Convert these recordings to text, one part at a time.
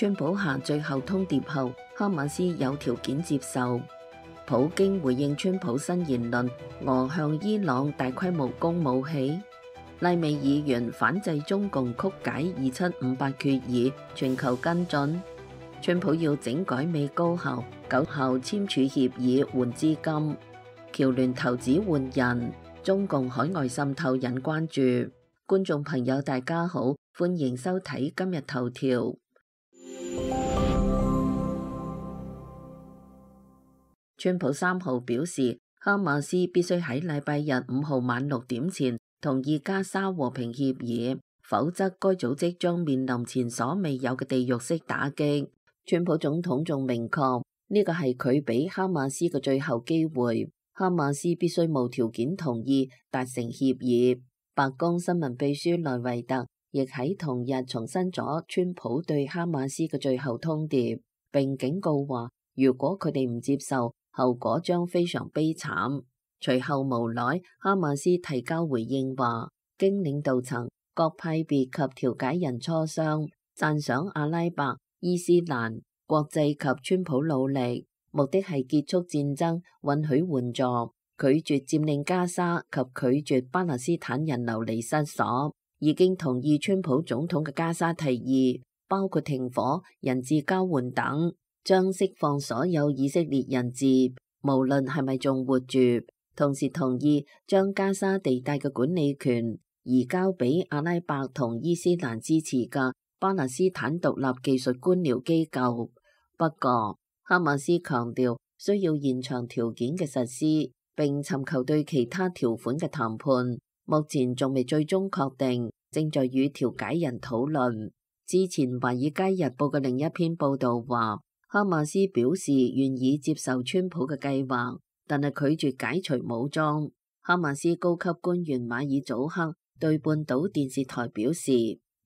川普下最後通牒後，哈馬斯有條件接受。普京回應川普新言論，俄向伊朗大規模供武器。拉美議員反制中共曲解2758決議，全球跟進。川普要整改美高校9校簽署協議換資金。僑聯投資換人，中共海外滲透引關注。觀眾朋友大家好，歡迎收睇今日頭條。川普3號表示，哈馬斯必須喺禮拜日5號晚6點前同意加沙和平協議，否則該組織將面臨前所未有嘅地獄式打擊。川普總統仲明確，呢個係佢俾哈馬斯嘅最後機會，哈馬斯必須無條件同意達成協議。白宮新聞秘書萊維特亦喺同日重申咗川普對哈馬斯嘅最後通牒，並警告話，如果佢哋唔接受，後果將非常悲慘。隨後無奈，哈馬斯提交回應話，經領導層、各派別及調解人磋商，讚賞阿拉伯、伊斯蘭、國際及川普努力，目的係結束戰爭，允許援助，拒絕佔領加沙及拒絕巴勒斯坦人流離失所。已經同意川普總統嘅加沙提議，包括停火、人質交換等，將釋放所有以色列人質，無論係咪仲活住。同時同意將加沙地帶嘅管理權移交俾阿拉伯同伊斯蘭支持嘅巴勒斯坦獨立技術官僚機構。不過，哈馬斯強調需要現場條件嘅實施，並尋求對其他條款嘅談判。目前仲未最終確定，正在與調解人討論。之前《華爾街日報》嘅另一篇報導話，哈馬斯表示願意接受川普嘅計劃，但係拒絕解除武裝。哈馬斯高級官員馬爾祖克對半島電視台表示，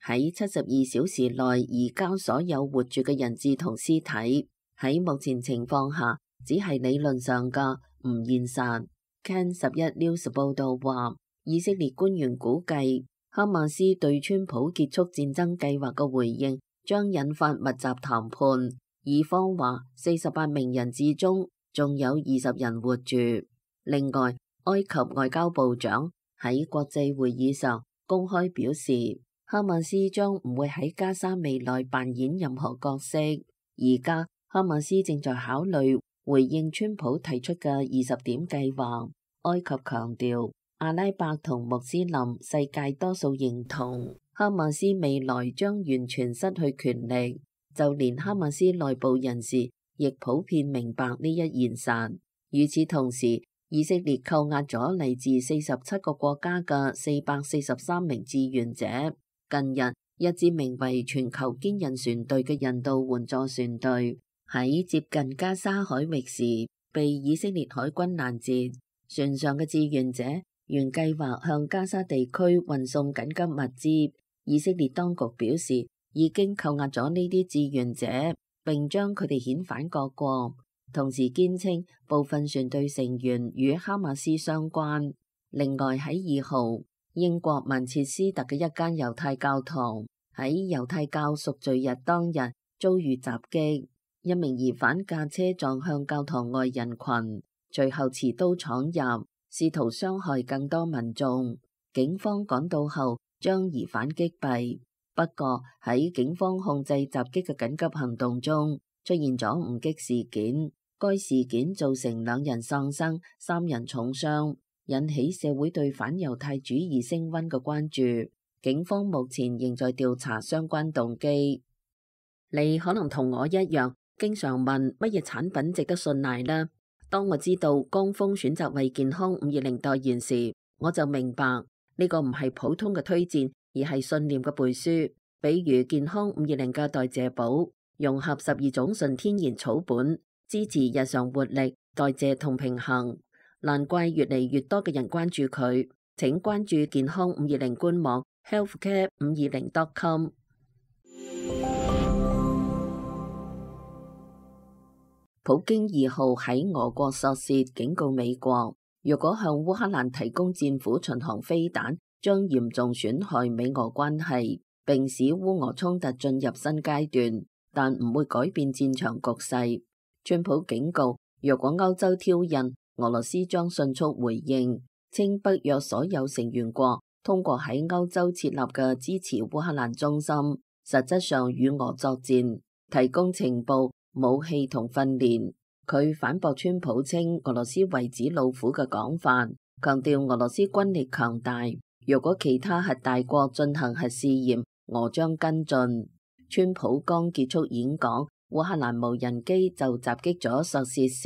喺72小時內移交所有活住嘅人質同屍體，喺目前情況下只係理論上嘅，唔現實。Can 11 News 報導話，以色列官員估計，哈馬斯對川普結束戰爭計劃嘅回應將引發密集談判。以方話48名人質中仲有20人活住。另外，埃及外交部長喺國際會議上公開表示，哈馬斯將唔會喺加沙未來扮演任何角色。而家哈馬斯正在考慮回應川普提出嘅20點計劃。埃及強調，阿拉伯同穆斯林世界多數認同哈馬斯未來將完全失去權力。就連哈馬斯內部人士亦普遍明白呢一現實。與此同時，以色列扣押咗嚟自47個國家嘅443名志願者。近日，一支名為全球堅韌船隊嘅人道援助船隊喺接近加沙海域時，被以色列海軍攔截。船上嘅志願者原計劃向加沙地區運送緊急物資。以色列當局表示，已經扣押咗呢啲志願者，並將佢哋遣返各國，同時堅稱部分船隊成員與哈馬斯相關。另外喺2號，英國曼徹斯特嘅一間猶太教堂喺猶太教贖罪日當日遭遇襲擊，一名疑犯駕車撞向教堂外人群，隨後持刀闖入，試圖傷害更多民眾。警方趕到後將疑犯擊斃。不過喺警方控制襲擊嘅緊急行動中，出現咗誤擊事件。該事件造成2人喪生、3人重傷，引起社會對反猶太主義升溫嘅關注。警方目前仍在調查相關動機。你可能同我一樣，經常問乜嘢產品值得信賴呢？當我知道江峰選擇為健康520代言時，我就明白呢個唔係普通嘅推薦，而係信念嘅背書。比如健康520嘅代謝寶，融合12種純天然草本，支持日常活力、代謝同平衡。難怪越嚟越多嘅人關注佢。請關注健康520官網 healthcare520.com。普京2號喺俄國索契警告美國，若果向烏克蘭提供戰斧巡航飛彈，將嚴重損害美俄關係，並使烏俄衝突進入新階段。但唔會改變戰場局勢。川普警告，若果歐洲挑釁，俄羅斯將迅速回應，稱北約所有成員國通過喺歐洲設立嘅支持烏克蘭中心，實質上與俄作戰，提供情報、武器同訓練。佢反駁川普稱俄羅斯為紙老虎嘅講法，強調俄羅斯軍力強大，若果其他核大國進行核試驗，俄將跟進。川普剛結束演講，烏克蘭無人機就襲擊咗索契市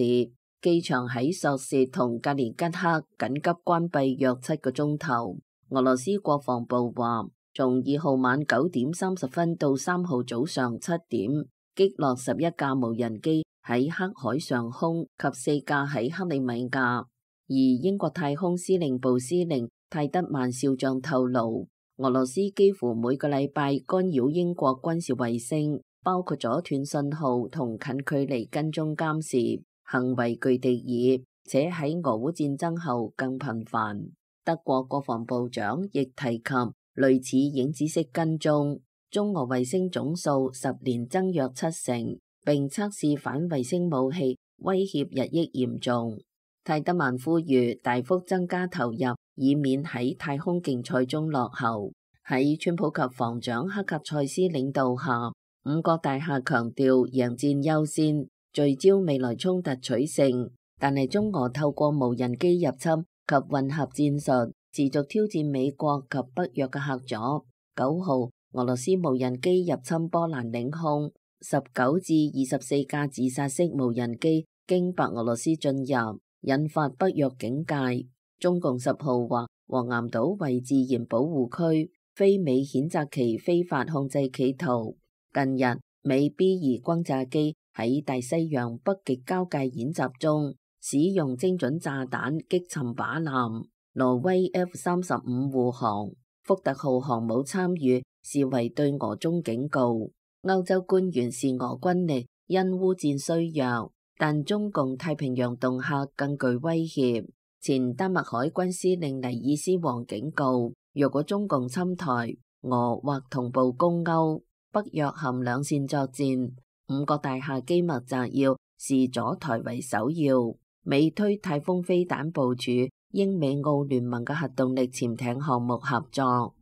機場，喺索契同格連吉克緊急關閉約7個鐘頭。俄羅斯國防部話，從2號晚9點30分到3號早上7點，擊落11架無人機喺黑海上空及4架喺克里米亞。而英國太空司令部司令泰德曼少將透露，俄羅斯幾乎每個禮拜干擾英國軍事衛星，包括咗斷信號同近距離跟蹤監視，行為具敵意，且喺俄烏戰爭後更頻繁。德國國防部長亦提及類似影子式跟蹤，中俄衛星總數10年增約7成，並測試反衛星武器，威脅日益嚴重。泰德曼呼籲大幅增加投入，以免喺太空競賽中落後。喺川普及防長克格塞斯領導下，5角大廈強調贏戰優先，聚焦未來衝突取勝。但係中俄透過無人機入侵及混合戰術，持續挑戰美國及北約嘅嚇阻。9號，俄羅斯無人機入侵波蘭領空，19至24架自殺式無人機經白俄羅斯進入，引發北約警戒。中共10號話，黃岩島為自然保護區，非美譴責其非法控制企圖。近日，美 B2轟炸機喺大西洋北極交界演習中，使用精準炸彈擊沉靶艦。挪威 F-35護航福特號航母參與，視為對俄中警告。歐洲官員視俄軍力因烏戰衰弱，但中共太平洋恫嚇更具威脅。前丹麥海軍司令尼爾斯王警告，若果中共侵台，俄或同步攻歐，北約含兩線作戰。5角大廈機密摘要視阻台為首要。美推太空飛彈部署，英美澳聯盟嘅核動力潛艇項目合作。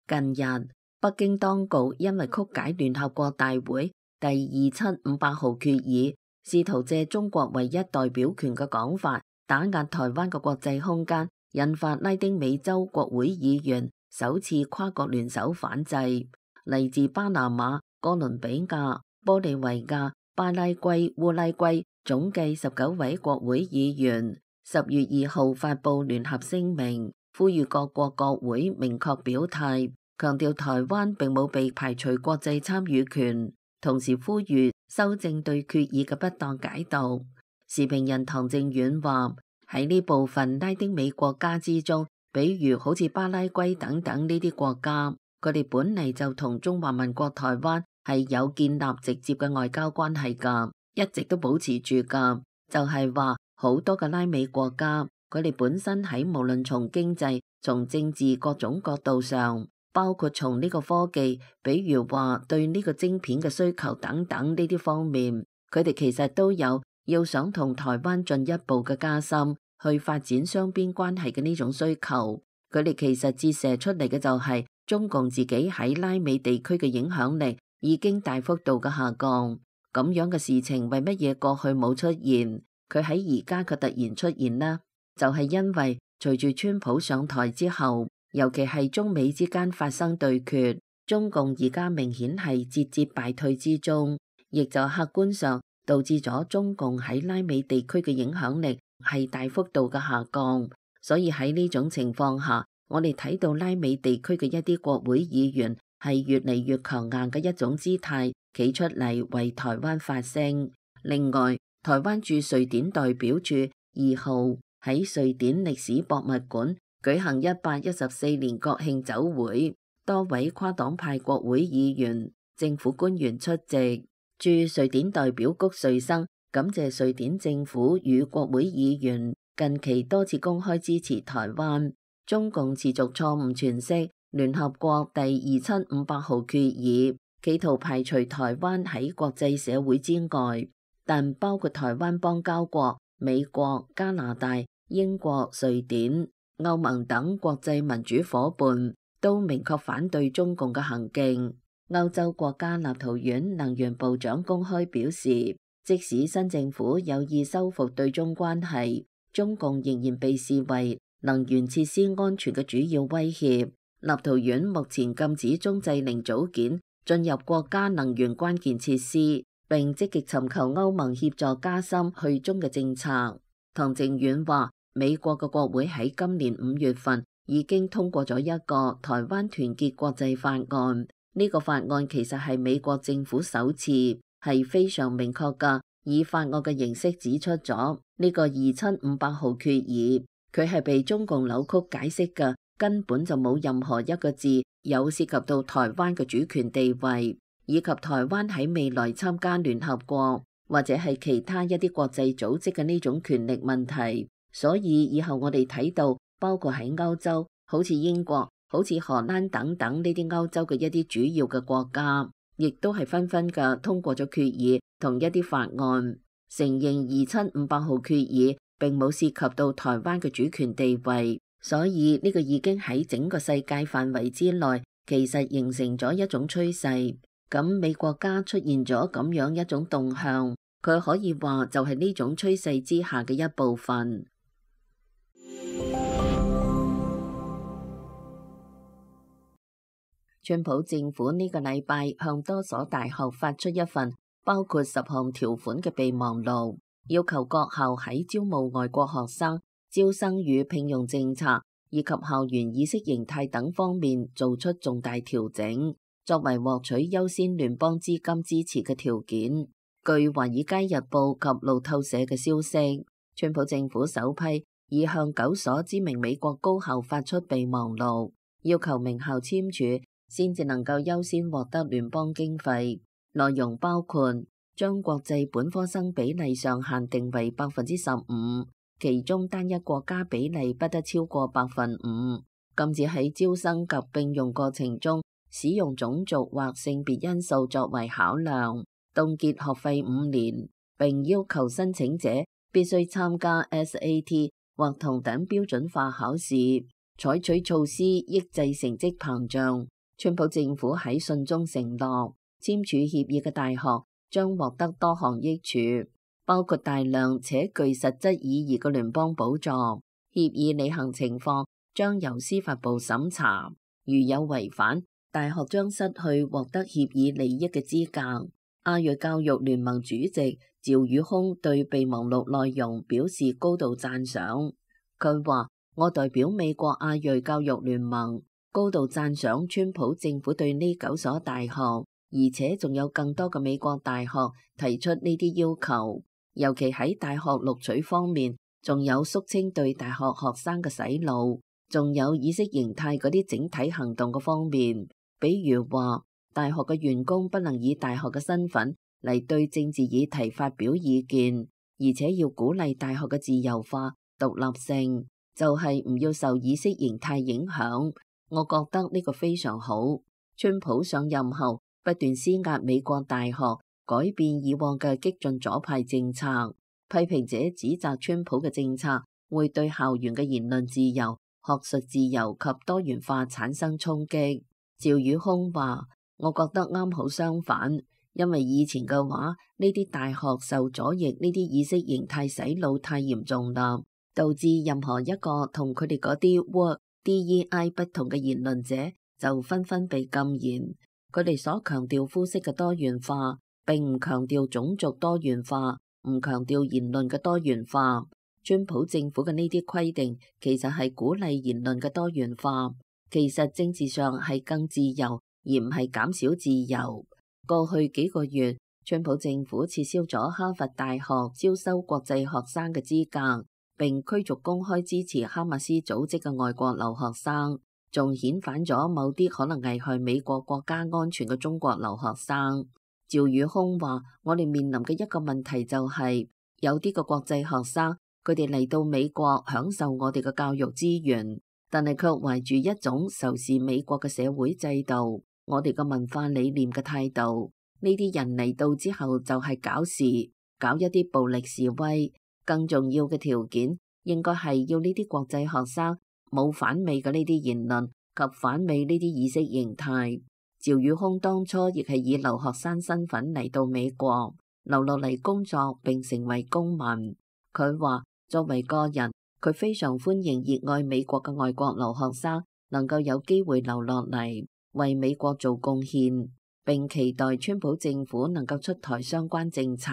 近日，北京當局因為曲解聯合國大會第27500號決議，試圖借中國唯一代表權嘅講法打壓台灣嘅國際空間，引發拉丁美洲國會議員首次跨國聯手反制。嚟自巴拿馬、哥倫比亞、玻利維亞、巴拉圭、烏拉圭總計19位國會議員10月2號發布聯合聲明，呼籲各國國會明確表態，強調台灣並冇被排除國際參與權，同時呼籲修正對決議嘅不當解讀。時評人唐正遠話，喺呢部分拉丁美國家之中，比如好似巴拉圭等等呢啲國家，佢哋本嚟就同中華民國台灣係有建立直接嘅外交關係噶，一直都保持住噶。就係話好多嘅拉美國家，佢哋本身喺無論從經濟、從政治各種角度上，包括從呢個科技，比如話對呢個晶片嘅需求等等呢啲方面，佢哋其實都有要想同台灣進一步嘅加深去發展雙邊關係嘅呢種需求。佢哋其實折射出嚟嘅就係中共自己喺拉美地區嘅影響力已經大幅度嘅下降。咁樣嘅事情為乜嘢過去冇出現，佢喺而家卻突然出現呢？就係因為隨住川普上台之後，尤其係中美之間發生對決，中共而家明顯係節節敗退之中，亦就客觀上導致咗中共喺拉美地區嘅影響力係大幅度嘅下降。所以喺呢種情況下，我哋睇到拉美地區嘅一啲國會議員係越嚟越強硬嘅一種姿態，企出嚟為台灣發聲。另外，台灣駐瑞典代表處2號喺瑞典歷史博物館舉行114年國慶酒會，多位跨黨派國會議員、政府官員出席。駐瑞典代表谷瑞生感謝瑞典政府與國會議員近期多次公開支持台灣。中共持續錯誤詮釋聯合國第2758號決議，企圖排除台灣喺國際社會之外，但包括台灣邦交國美國、加拿大、英國、瑞典、歐盟等國際民主夥伴都明確反對中共嘅行徑。歐洲國家立陶宛能源部長公開表示，即使新政府有意修復對中關係，中共仍然被視為能源設施安全嘅主要威脅。立陶宛目前禁止中製零組件進入國家能源關鍵設施，並積極尋求歐盟協助加深去中嘅政策。唐靖遠話，美國嘅國會喺今年5月份已經通過咗一個台灣團結國際法案。呢個法案其實係美國政府首次係非常明確嘅，以法案嘅形式指出咗呢個2758號決議，佢係被中共扭曲解釋嘅，根本就冇任何一個字有涉及到台灣嘅主權地位，以及台灣喺未來參加聯合國或者係其他一啲國際組織嘅呢種權力問題。所以以後我哋睇到，包括喺歐洲，好似英國、好似荷蘭等等呢啲歐洲嘅一啲主要嘅國家，亦都係紛紛嘅通過咗決議同一啲法案，承認2758號決議並冇涉及到台灣嘅主權地位。所以呢個已經喺整個世界範圍之內，其實形成咗一種趨勢。咁美國家出現咗咁樣一種動向，佢可以話就係呢種趨勢之下嘅一部分。川普政府呢個禮拜向多所大學發出一份包括10項條款嘅備忘錄，要求各校喺招募外國學生、招生與聘用政策以及校園意識形態等方面做出重大調整，作為獲取優先聯邦資金支持嘅條件。據《華爾街日報》及路透社嘅消息，川普政府首批已向9所知名美國高校發出備忘錄，要求名校簽署先至能夠優先獲得聯邦經費。內容包括將國際本科生比例上限定為15%，其中單一國家比例不得超過5%，禁止喺招生及聘用過程中使用種族或性別因素作為考量，凍結學費5年，並要求申請者必須參加 SAT 或同等標準化考試，採取措施抑制成績膨脹。川普政府喺信中承諾，簽署協議嘅大學將獲得多項益處，包括大量且具實質意義嘅聯邦補助。協議履行情況將由司法部審查，如有違反，大學將失去獲得協議利益嘅資格。亞裔教育聯盟主席趙宇空對備忘錄內容表示高度讚賞。佢話：我代表美國亞裔教育聯盟，高度讚賞川普政府對呢9所大學，而且仲有更多嘅美國大學提出呢啲要求，尤其喺大學錄取方面，仲有肅清對大學學生嘅洗腦，仲有意識形態嗰啲整體行動嘅方面，比如話大學嘅員工不能以大學嘅身份嚟對政治議題發表意見，而且要鼓勵大學嘅自由化、獨立性，就係唔要受意識形態影響。我覺得呢個非常好。川普上任後不斷施壓美國大學改變以往嘅激進左派政策，批評者指責川普嘅政策會對校園嘅言論自由、學術自由及多元化產生衝擊。趙宇空話：我覺得啱好相反，因為以前嘅話，呢啲大學受左翼呢啲意識形態洗腦太嚴重啦，導致任何一個同佢哋嗰啲 work DEI 不同嘅言論者就紛紛被禁言。佢哋所強調膚色嘅多元化，並唔強調種族多元化，唔強調言論嘅多元化。川普政府嘅呢啲規定其實係鼓勵言論嘅多元化，其實政治上係更自由，而唔係減少自由。過去幾個月，川普政府撤銷咗哈佛大學招收國際學生嘅資格，並驅逐公開支持哈馬斯組織嘅外國留學生，仲遣返咗某啲可能危害美國國家安全嘅中國留學生。趙宇空話：我哋面臨嘅一個問題就係，有啲嘅國際學生，佢哋嚟到美國享受我哋嘅教育資源，但係卻懷住一種仇視美國嘅社會制度、我哋嘅文化理念嘅態度。呢啲人嚟到之後就係搞事，搞一啲暴力示威。更重要嘅條件應該係要呢啲國際學生冇反美嘅呢啲言論及反美呢啲意識形態。趙宇空當初亦係以留學生身份嚟到美國，留落嚟工作並成為公民。佢話作為個人，佢非常歡迎熱愛美國嘅外國留學生能夠有機會留落嚟為美國做貢獻，並期待川普政府能夠出台相關政策。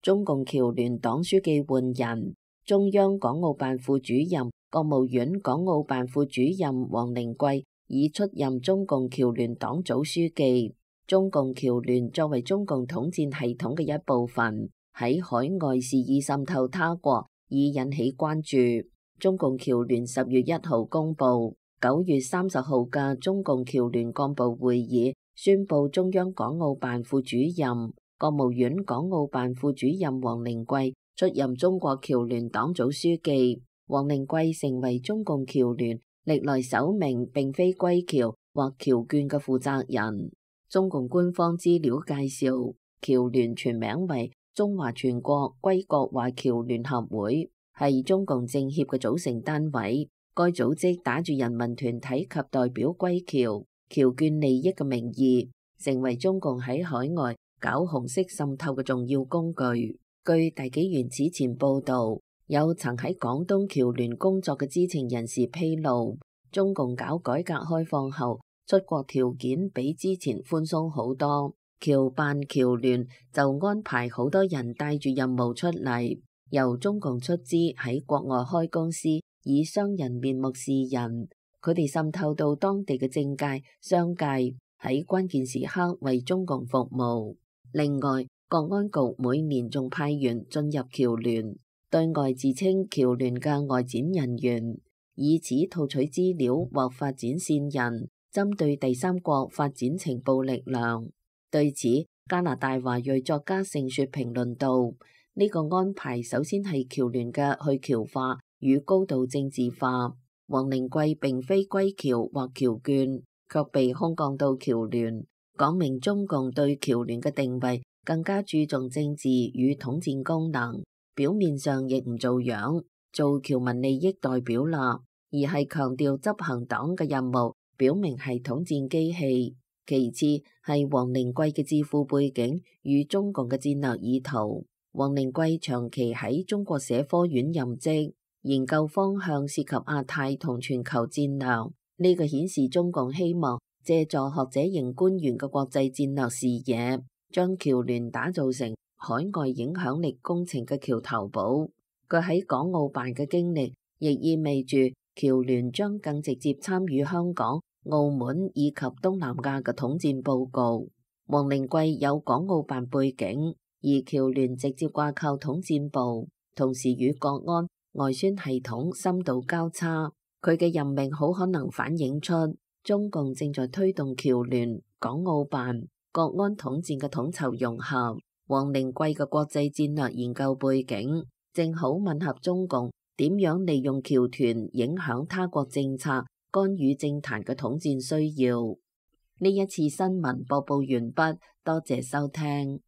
中共僑聯黨書記換人，中央港澳辦副主任、國務院港澳辦副主任王靈桂已出任中共僑聯黨組書記。中共僑聯作為中共統戰系統嘅一部分，喺海外肆意滲透他國，已引起關注。中共僑聯10月1號公佈，9月30號嘅中共僑聯幹部會議宣布，中央港澳辦副主任、國務院港澳辦副主任王靈桂出任中國僑聯黨組書記。王靈桂成為中共僑聯歷來首名並非歸僑或僑眷嘅負責人。中共官方資料介紹，僑聯全名為中華全國歸國華僑聯合會，係中共政協嘅組成單位。該組織打住人民團體及代表歸僑、僑眷利益嘅名義，成為中共喺海外搞紅色滲透嘅重要工具。據大紀元此前報道，有曾喺廣東僑聯工作嘅知情人士披露，中共搞改革開放後，出國條件比之前寬鬆好多。僑辦僑聯就安排好多人帶住任務出嚟，由中共出資喺國外開公司，以商人面目示人。佢哋滲透到當地嘅政界、商界，喺關鍵時刻為中共服務。另外，國安局每年仲派員進入僑聯，對外自稱僑聯嘅外展人員，以此套取資料或發展線人，針對第三國發展情報力量。對此，加拿大華裔作家盛雪評論道：呢個安排首先係僑聯嘅去僑化與高度政治化。王靈桂並非歸僑或僑眷，卻被空降到僑聯，講明中共對僑聯嘅定位更加注重政治與統戰功能，表面上亦唔做樣，做僑民利益代表啦，而係強調執行黨嘅任務，表明係統戰機器。其次係王靈桂嘅智庫背景與中共嘅戰略意圖。王靈桂長期喺中國社科院任職，研究方向涉及亞太同全球戰略。呢個顯示中共希望借助學者型官員嘅國際戰略視野，將僑聯打造成海外影響力工程嘅橋頭堡。佢喺港澳辦嘅經歷，亦意味住僑聯將更直接參與香港、澳門以及東南亞嘅統戰報告。王靈桂有港澳辦背景，而僑聯直接掛靠統戰部，同時與國安、外宣系統深度交叉。佢嘅任命好可能反映出中共正在推動僑聯、港澳辦、國安統戰嘅統籌融合。王靈桂嘅國際戰略研究背景，正好吻合中共點樣利用僑團影響他國政策、干預政壇嘅統戰需要。呢一次新聞播報完畢，多謝收聽。